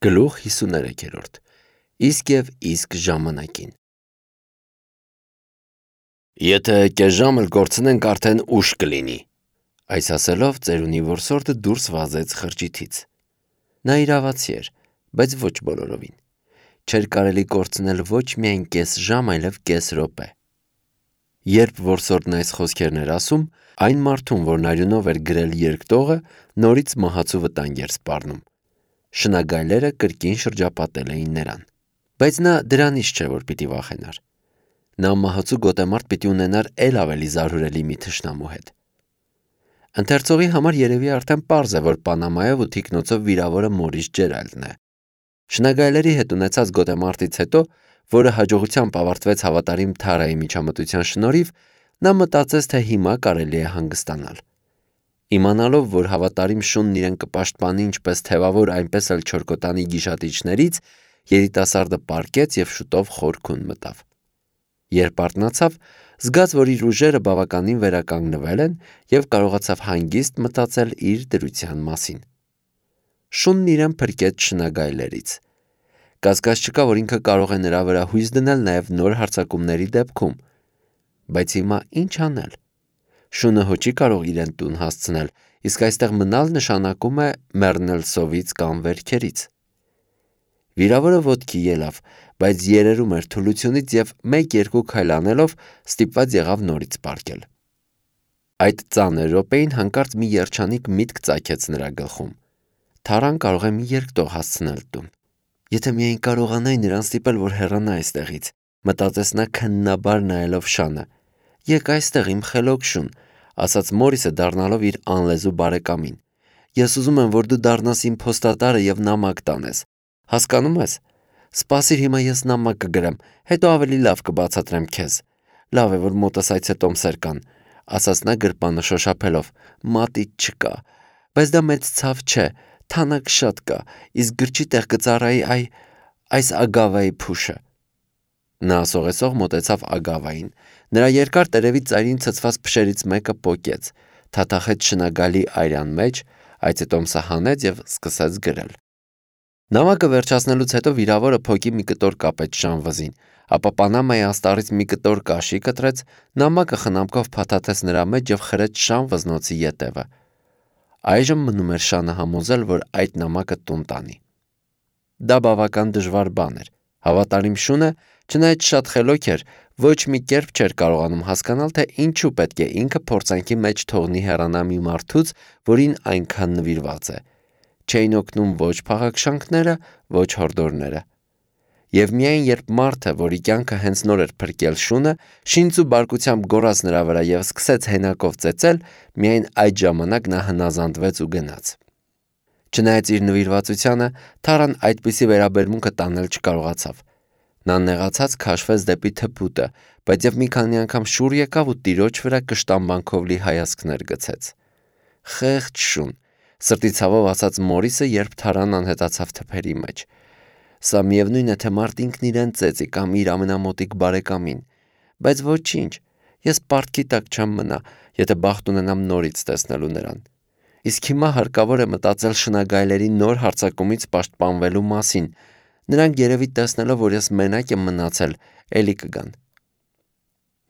Գլուխ 53 Իսկ և իսկ ժամանակին Եթե կես ժամ էլ կորցնենք արդեն ուշ կլինի։ Այս ասելով ծերունի որսորդը դուրս վազեց խրճիթից։ Նա իրավացի էր, բայց ոչ բոլորովին։ Չէր կարելի կորցնել ոչ միայն կես ժամ, այլև կես րոպե։ Երբ որսորդն այս խոսքերն էր ասում, այն մարդուն, որն արյունով էր գրել երկտողը, նորից մահացու վտանգ էր սպառնում։ Շնագայլերը կրկին շրջապատել էին նրան։ Բայց նա դրանից չէ, որ պիտի վախենար։ Նա մահացու գոտեմարտ պիտի ունենար էլ ավելի զարհուրելի մի թշնամու հետ։ Ընթերցողի համար երևի արդեն պարզ է, որ Պանամայով ու թիկնոցով վիրավորը Մորիս Ջերալդն է։ Շնագայլերի հետ ունեցած գոտեմարտից հետո, որը հաջողությամբ ավարտվեց հավատարիմ Թարայի միջամտության շնորհիվ, նա մտածեց, թե հիմա կարելի է հանգստանալ։ Իմանալով, որ հավատարիմ շունն իրեն կպաշտպանի ինչպես թևավոր, այնպես էլ չորքոտանի գիշատիչներից, երիտասարդը պառկեց և շուտով խորքուն մտավ։ Երբ արթնացավ, զգաց, որ իր ուժերը բավականին վերականգնվել են և կարողացավ հանգիստ մտածել իր դրության մասին։ Շունն իրեն փրկեց շնագայլերից։ Կասկած չկա, որ ինքը կարող է նրա վրա հույս դնել նաև նոր հարձակումների դեպքում։ Բայց հիմա ինչ անել։ Շունը հո չի կարող իրեն տուն հասցնել, իսկ այստեղ մնալ նշանակում է մեռնել սովից կամ վերքերից։ Վիրավորը ոտքի ելավ, բայց երերում էր թուլությունից և 1-2 քայլ անելով ստիպված եղավ նորից պառկել։ Այդ ծանր րոպեին հանկարծ մի երջանիկ միտք ծագեց նրա գլխում։ Թարան կարող է մի երկտող հասցնել տուն։ Եթե միայն կարողանայի նրան ստիպել, որ հեռանա այստեղից, մտածեց նա քննաբար նայելով Շանը։ Եկ այստեղ իմ խելոք Շուն, ասաց Մորիսը դառնալով իր անլեզու բարեկամին։ Ես ուզում եմ, որ դու դառնաս իմ փոստատարը և նամակ տանես։ Հասկանում ես։ Սպասիր, հիմա ես նամակ կգրեմ, հետո ավելի լավ կբացատրեմ քեզ։ Լավ է, որ մոտս այցետոմսեր կան, ասաց նա գրպանը շոշափելով։ Մատիտ չկա, բայց դա մեծ ցավ չէ, թանաք շատ կա, իսկ գրչի տեղ կծառայի այս ագավայի փուշը։ Նա ասողեսող մոտեցավ ագավային։ Նրա երկար տերևի ծայրին ցցված փշերից մեկը պոկեց, թաթախեց շնագալի այրան մեջ, այցետոմսը հանեց և սկսեց գրել։ Նամակը վերջացնելուց հետո վիրավորը փոկի մի կտոր կապեց Շան վզին, ապա Պանամայի աստառից մի կտոր կաշի կտրեց, նամակը խնամքով փաթաթեց նրա մեջ և խրեց Շան վզնոցի ետևը։ Այժմ մնում էր Շանը համոզել, որ այդ նամակը տուն տանի։ Դա բավական դժվար բան էր։ Հավատարիմ Շունը, չնայած շատ խելոք էր, ոչ մի կերպ չէր կարողանում հասկանալ, թե ինչու պետք է ինքը փորձանքի մեջ թողնի հեռանա մի մարդուց, որին այնքան նվիրված է։ Չէին օգնում ոչ փաղաքշանքները, ոչ հորդորները։ Եվ միայն երբ մարդը, որի կյանքը հենց նոր էր փրկել Շունը, շինծ ու բարկությամբ գոռաց նրա վրա և սկսեց հենակով ծեծել, միայն այդ ժամանակ նա հնազանդվեց ու գնաց։ Չնայած իր նվիրվածությանը, Թարան այդպիսի վերաբերմունքը տանել չկարողացավ։ Նա նեղացած քաշվեց դեպի թփուտը, բայց և մի քանի անգամ շուռ եկավ ու տիրոջ վրա կշտամբանքով լի հայացքներ գցեց։ Խեղճ Շուն, սրտի ցավով ասաց Մորիսը, երբ Թարան անհետացավ թփերի մեջ։ Սա միևնույն է, թե մարդ ինքն իրեն ծեծի կամ իր ամենամոտիկ բարեկամին։ Բայց ոչինչ, ես պարտքի տակ չեմ մնա, եթե բախտ ունենամ նորից տեսնելու նրան։ Իսկ հիմա հարկավոր է մտածել շնագայլերի նոր հարձակումից պաշտպանվելու մասին։ Նրանք երևի տեսնելով, որ ես մենակ եմ մնացել, էլի կգան։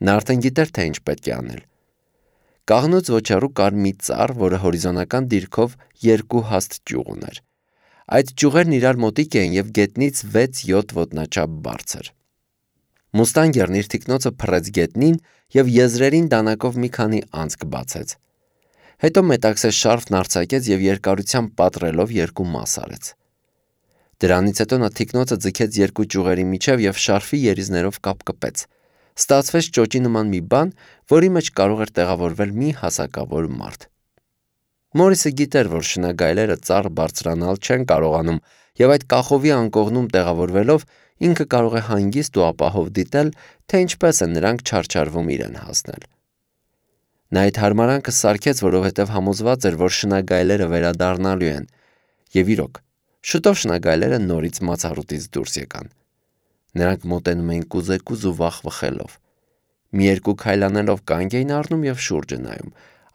Նա արդեն գիտեր, թե ինչ պետք է անել։ Կաղնուց ոչ հեռու կար մի ծառ, որը հորիզոնական դիրքով 2 հաստ ճյուղ ուներ։ Այդ ճյուղերն իրար մոտիկ էին և գետնից 6-7 ոտնաչափ բարձր։ Մուստանգերն իր թիկնոցը փռեց գետնին և եզրերին դանակով մի քանի անցք բացեց։ Հետո մետաքսե շարֆն արձակեց և երկարությամբ պատռելով 2 մաս արեց։ Դրանից հետո նա թիկնոցը ձգեց 2 ճյուղերի միջև և շարֆի երիզներով կապկպեց։ Ստացվեց ճոճի նման մի բան, որի մեջ կարող էր տեղավորվել մի հասակավոր մարդ։ Մորիսը գիտեր, որ շնագայլերը ծառ բարձրանալ չեն կարողանում, և այդ կախովի անկողնում տեղավորվելով ինքը կարող է հանգիստ ու ապահով դիտել, թե ինչպես են նրանք չարչարվում իրեն հասնել։ Նա այդ հարմարանքը սարքեց, որովհետև համոզված էր, որ շնագայլերը վերադառնալու են։ Եվ իրոք, շուտով շնագայլերը նորից մացառուտից դուրս եկան։ Նրանք մոտենում էին կուզեկուզ ու վախվխելով։ Մի երկու քայլ անելով կանգ էին առնում և շուրջը նայում,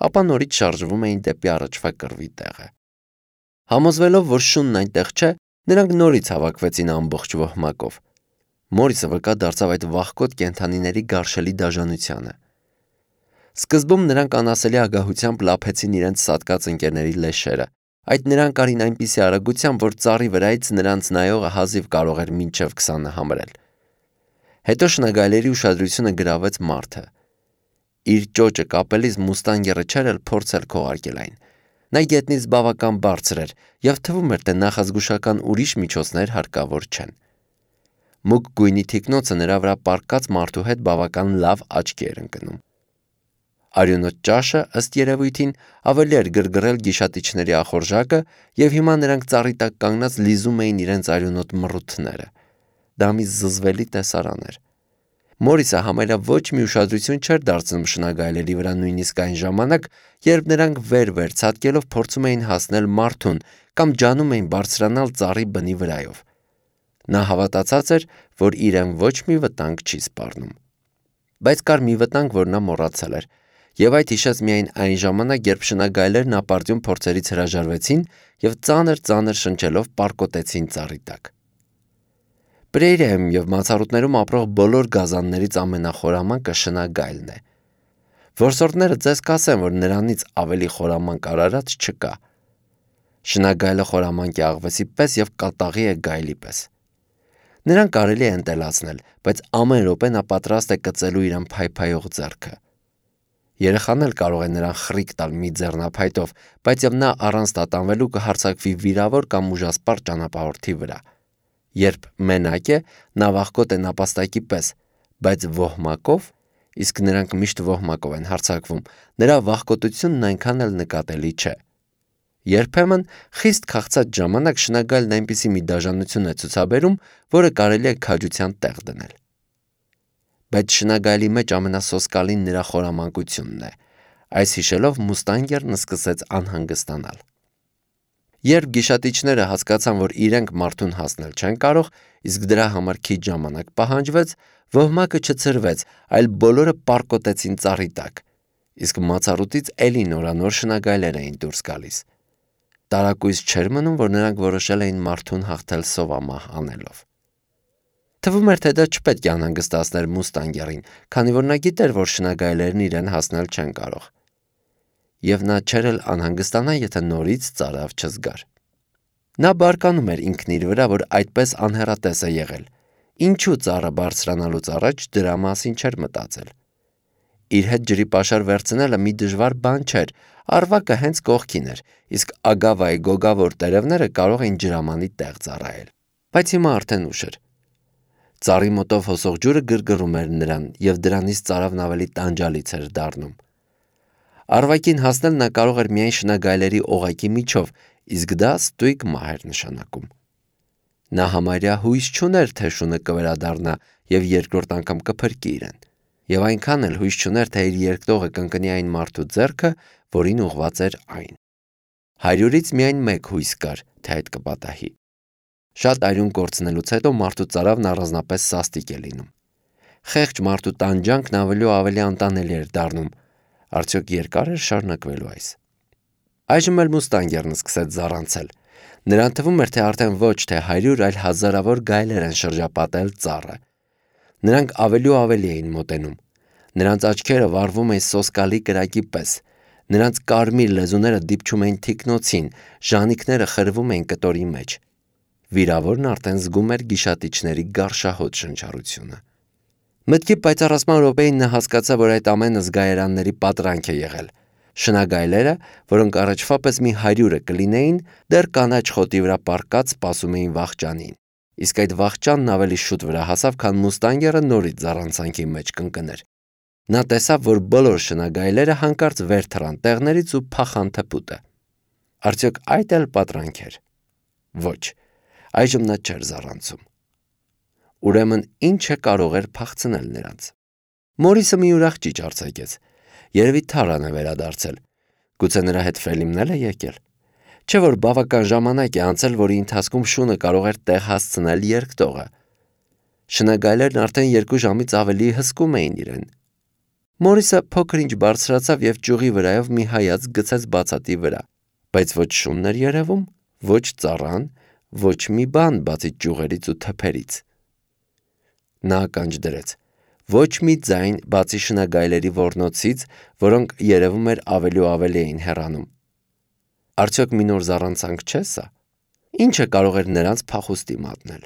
ապա նորից շարժվում էին դեպի առաջվա կռվի տեղը։ Համոզվելով, որ Շունն այնտեղ չէ, Նրանք նորից հավաքվեցին ամբողջ ոհմակով։ Մորիսը վկա դարձավ այդ վախկոտ կենդանիների գարշելի դաժանությանը։ Սկզբում նրանք անասելի ագահությամբ լափեցին իրենց սատկած ընկերների լեշերը։ Այդ նրանք արին այնպիսի արագությամբ, որ ծառի վրայից նրանց նայողը հազիվ կարող էր մինչև 20-ը համարել։ Հետո շնագայլերի ուշադրությունը գրավեց մարդը։ Իր ճոճը կապելիս մուստանգերը չէր էլ փորձել քողարկել այն։ Նա գետնից բավական բարձր էր և թվում էր, թե նախազգուշական ուրիշ միջոցներ հարկավոր չեն։ Մուգ գույնի թիկնոցը նրա վրա պառկած մարդու հետ բավական լավ աչքի էր ընկնում։ Արյունոտ ճաշը, ըստ երևույթին, ավելի էր գրգռել գիշատիչների ախորժակը, և հիմա նրանք ծառի տակ կանգնած լիզում էին իրենց արյունոտ մռութները։ Դա մի զզվելի տեսարան էր։ Մորիսը համարյա ոչ մի ուշադրություն չէր դարձնում շնագայլերի վրա նույնիսկ այն ժամանակ, երբ նրանք վեր ցատկելով փորձում էին հասնել մարդուն կամ ջանում էին բարձրանալ ծառի բնի վրայով։ Նա հավատացած էր, որ իրեն ոչ մի վտանգ չի սպառնում։ Բայց կար մի վտանգ, որ նա մոռացել էր, և այդ հիշեց միայն այն ժամանակ, երբ շնագայլերն ապարդյուն փորձերից հրաժարվեցին և ծանր շնչելով պառկոտեցին ծառի տակ։ Պրեյրիայում և մացառուտներում ապրող բոլոր գազաններից ամենախորամանկը շնագայլն է։ Որսորդները ձեզ կասեն, որ նրանից ավելի խորամանկ արարած չկա։ Շնագայլը խորամանկ է աղվեսի պես և կատաղի է գայլի պես։ Նրան կարելի է ընտելացնել, բայց ամեն րոպե նա պատրաստ է կծելու իրեն փայփայող ձեռքը։ Երեխան էլ կարող է նրան խրիկ տալ մի ձեռնափայտով, բայց և նա առանց տատանվելու կհարձակվի վիրավոր կամ ուժասպառ ճանապարհորդի վրա։ Երբ մենակ է, նա վախկոտ է նապաստակի պես, բայց ոհմակով, իսկ նրանք միշտ ոհմակով են հարձակվում, նրա վախկոտությունն այնքան էլ նկատելի չէ։ Երբեմն խիստ քաղցած ժամանակ շնագայլն այնպիսի մի դաժանություն է ցուցաբերում, որը կարելի է քաջության տեղ դնել։ Բայց շնագայլի մեջ ամենասոսկալին նրա խորամանկությունն է։ Այս հիշելով մուստանգերն սկսեց անհանգստանալ։ Երբ գիշատիչները հասկացան, որ իրենք մարդուն հասնել չեն կարող, իսկ դրա համար քիչ ժամանակ պահանջվեց, ոհմակը չցրվեց, այլ բոլորը պառկոտեցին ծառի տակ, իսկ մացառուտից էլի նորանոր շնագայլեր էին դուրս գալիս։ Տարակույս չէր մնում, որ նրանք որոշել էին մարդուն հաղթել սովամահ անելով։ Թվում էր, թե դա չպետք է անհանգստացներ մուստանգերին, քանի որ նա գիտեր, որ շնագայլերն իրեն հասնել չեն կարող։ Եվ նա չէր էլ անհանգստանա, եթե նորից ծարավ չզգար։ Նա բարկանում էր ինքն իր վրա, որ այդպես անհեռատես է եղել։ Ինչու ծառը բարձրանալուց առաջ դրա մասին չէր մտածել։ Իր հետ ջրի պաշար վերցնելը մի դժվար բան չէր, առվակը հենց կողքին էր, իսկ Ագավայի գոգավոր տերևները կարող էին ջրամանի տեղ ծառայել։ Բայց հիմա արդեն ուշ էր։ Ծառի մոտով հոսող ջուրը գրգռում էր նրան, և դրանից ծարավն ավելի տանջալից էր դառնում։ Առվակին հասնել նա կարող էր միայն շնագայլերի օղակի միջով, իսկ դա ստույգ մահ էր նշանակում։ Նա համարյա հույս չուներ, թե շունը կվերադառնա և երկրորդ անգամ կփրկի իրեն, և այնքան էլ հույս չուներ, թե իր երկտողը կընկնի այն մարդու ձեռքը, որին ուղղված էր այն։ 100-ից միայն մեկ հույս կար, թե այդ կպատահի։ Շատ արյուն կորցնելուց հետո մարդու ծարավն առանձնապես սաստիկ է լինում։ Խեղճ մարդու տանջանքն ավելի ու ավելի անտանելի էր դառնում։ Արդյոք երկար էր շարունակվելու այս։ Այժմ էլ մուստանգերն սկսեց զառանցել։ Նրան թվում էր, թե արդեն ոչ թե 100, այլ հազարավոր գայլեր են շրջապատել ծառը։ Նրանք ավելի ու ավելի էին մոտենում։ Նրանց աչքերը վառվում էին սոսկալի կրակի պես։ Նրանց կարմիր լեզուները դիպչում էին թիկնոցին, ժանիքները խրվում էին կտորի մեջ։ Վիրավորն արդեն զգում էր գիշատիչների գարշահոտ շնչառությունը։ Մտքի պայծառացման րոպեին նա հասկացավ, որ այդ ամենը զգայարանների պատրանք է եղել։ Շնագայլերը, որոնք առաջվա պես մի 100-ը կլինեին, դեռ կանաչ խոտի վրա պառկած սպասում էին վախճանին, իսկ այդ վախճանն ավելի շուտ վրա հասավ, քան մուստանգերը նորից զառանցանքի մեջ կընկներ։ Նա տեսավ, որ բոլոր շնագայլերը հանկարծ վեր թռան տեղներից ու փախան թփուտը։ Արդյոք այդ էլ պատրանք էր։ Ոչ, այժմ նա չէր զառանցում։ Ուրեմն ի՞նչը կարող էր փախցնել նրանց։ Մորիսը մի ուրախ ճիչ արձակեց։ Երևի թառան է վերադարձել։ Գուցե նրա հետ Ֆելիմն է եկել։ Չէ՞ որ բավական ժամանակ է անցել, որի ընթացքում շունը կարող էր տեղ հասցնել երկտողը։ Շնագայլերն արդեն 2 ժամից ավելի հսկում էին իրեն։ Մորիսը փոքր-ինչ բարձրացավ և ճյուղի վրայով մի հայացք գցեց բացատի վրա, բայց ոչ շունն էր երևում, ոչ ծառան, ոչ մի բան բացի ճյուղերից ու թփերից։ Նա ականջ դրեց. ոչ մի ձայն բացի շնագայլերի ոռնոցից, որոնք երևում էր ավելի ու ավելի էին հեռանում։ Արդյոք մի նոր զառանցանք չէ սա։ Ինչը կարող էր նրանց փախուստի մատնել։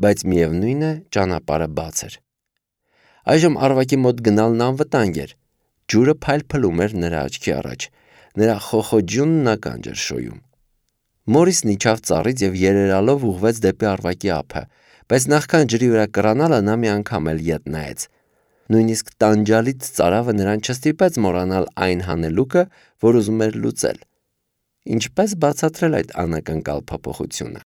Բայց միևնույն է, ճանապարհը բաց էր։ Այժմ Արվակի մոտ գնալն անվտանգ էր։ Ջուրը փայլփլում էր նրա աչքի առաջ, նրա խոխոջյունն ականջ էր շոյում։ Մորիսն իջավ ծառից և երերալով ուղղվեց դեպի Արվակի ափը, բայց նախքան ջրի վրա կռանալը նա մի անգամ էլ ետ նայեց։ Նույնիսկ տանջալից ծարավը նրան չստիպեց մոռանալ այն հանելուկը, որ ուզում էր լուծել։ Ինչպես բացատրել այդ անակնկալ փոփոխությունը։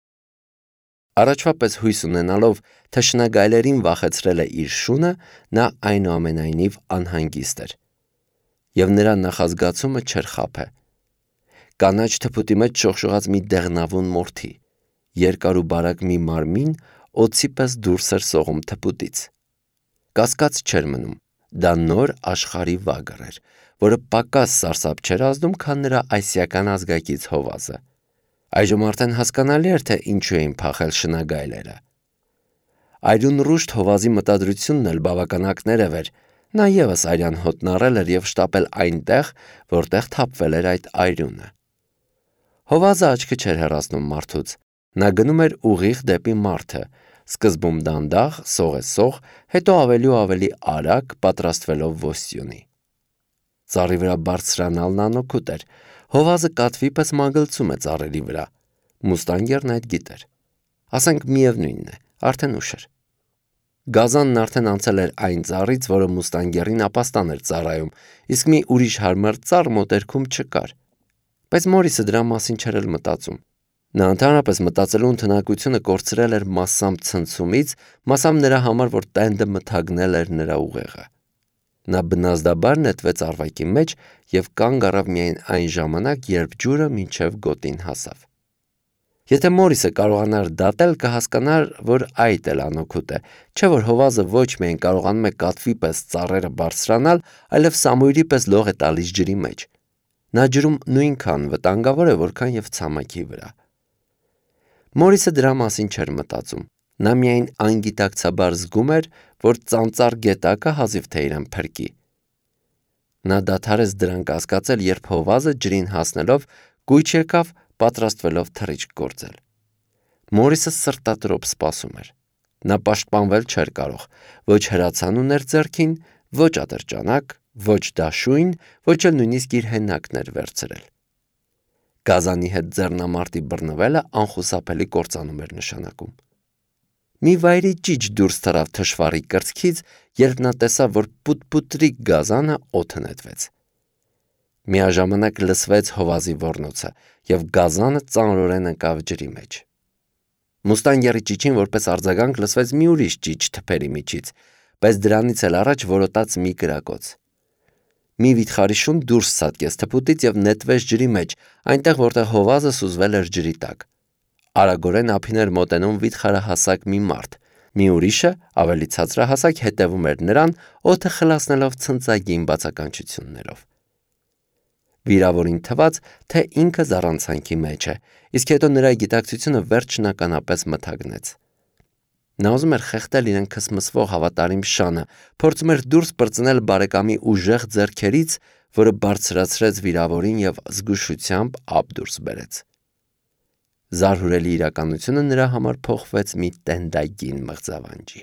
Առաջվա պես հույս ունենալով, թե շնագայլերին վախեցրել է իր շունը, նա այնուամենայնիվ անհանգիստ էր։ Եվ նրա նախազգացումը չէր խաբե։ Կանաչ թփուտի մեջ շողշողաց մի դեղնավուն մորթի, երկար ու բարակ մի մարմին օձի պես դուրս էր սողում թփուտից։ Կասկած չէր մնում, դա նոր աշխարհի վագր էր, որը պակաս սարսափ չէր ազդում, քան նրա այսիական ազգակից հովազը։ Այժմ արդեն հասկանալի էր, թե ինչու էին փախել շնագայլերը։ Այրուն ռուշտ հովազի մտադրությունն էլ բավական ակներև էր։ Նա ևս արյան հոտն առել էր և շտապել այնտեղ, որտեղ թափվել էր այդ այրունը։ Հովազը աչքը չէր հեռացնում մարդուց։ Նա գնում էր ուղիղ դեպի մարդը, սկզբում դանդաղ, սողեսող, հետո ավելի ու ավելի արագ, պատրաստվելով ոստյունի։ Ծառի վրա բարձրանալն անօգուտ էր։ Հովազը կատվի պես մագլցում է ծառերի վրա։ Մուստանգերն այդ գիտեր։ Ասենք միևնույնն է, արդեն ուշ էր։ Գազանն արդեն անցել էր այն ծառից, որը մուստանգերին ապաստան էր ծառայում, իսկ մի ուրիշ հարմար ծառ մոտերքում չկար։ Բայց Մորիսը դրա մասին չէր էլ մտածում։ Նա ընդհանրապես մտածելու ընդունակությունը կորցրել էր մասամբ ցնցումից, մասամբ նրա համար, որ տենդը մթագնել էր նրա ուղեղը։ Նա բնազդաբար նետվեց Արվակի մեջ և կանգ առավ միայն այն ժամանակ, երբ ջուրը մինչև գոտին հասավ։ Եթե Մորիսը կարողանար դատել, կհասկանար, որ այդ էլ անօգուտ է, չէ՞ որ հովազը ոչ միայն կարողանում է կատվի պես ծառերը բարձրանալ, այլև սամույրի պես լող է տալիս ջրի մեջ։ Նա ջրում նույնքան վտանգավոր է, որքան և ցամաքի վրա։ Մորիսը դրա մասին չէր մտածում։ Նա միայն անգիտակցաբար զգում էր, որ ծանծաղ գետակը հազիվ թե իրեն փրկի։ Նա դադարեց դրան կասկածել, երբ հովազը ջրին հասնելով կույչ եկավ, պատրաստվելով թռիչք գործել։ Մորիսը սրտատրոփ սպասում էր։ Նա պաշտպանվել չէր կարող, ոչ հրացան ուներ ձեռքին, ոչ ատրճանակ, ոչ դաշույն, ոչ էլ նույնիսկ իր հենակն էր վերցրել։ Գազանի հետ ձեռնամարտի բռնվելը անխուսափելի կործանում էր նշանակում։ Մի վայրի ճիչ դուրս թռավ թշվառի կրծքից, երբ նա տեսավ, որ պուտ-պուտրիկ գազանը օդը նետվեց։ Միաժամանակ լսվեց հովազի ոռնոցը, և գազանը ծանրորեն ընկավ ջրի մեջ։ Մուստանգերի ճիչին որպես արձագանք լսվեց մի ուրիշ ճիչ թփերի միջից, բայց դրանից էլ առաջ որոտաց մի կրակոց։ Մի վիթխարի շուն դուրս ցատկեց թփուտից և նետվեց ջրի մեջ, այնտեղ, որտեղ հովազը սուզվել էր ջրի տակ։ Արագորեն ափին էր մոտենում վիթխարահասակ մի մարդ, մի ուրիշը, ավելի ցածրահասակ, հետևում էր նրան, օդը խլացնելով ցնծագին բացականչություններով։ Վիրավորին թվաց, թե ինքը զառանցանքի մեջ է, իսկ հետո նրա գիտակցությունը վերջնականապես մթագնեց։ Նա ուզում էր խեղդել իրեն քսմսվող հավատարիմ շանը, փորձում էր դուրս պրծնել բարեկամի ուժեղ ձեռքերից, որը բարձրացրեց վիրավորին և զգուշությամբ ափ դուրս բերեց։ Զարհուրելի իրականությունը նրա համար փոխվեց մի տենդագին մղձավանջի։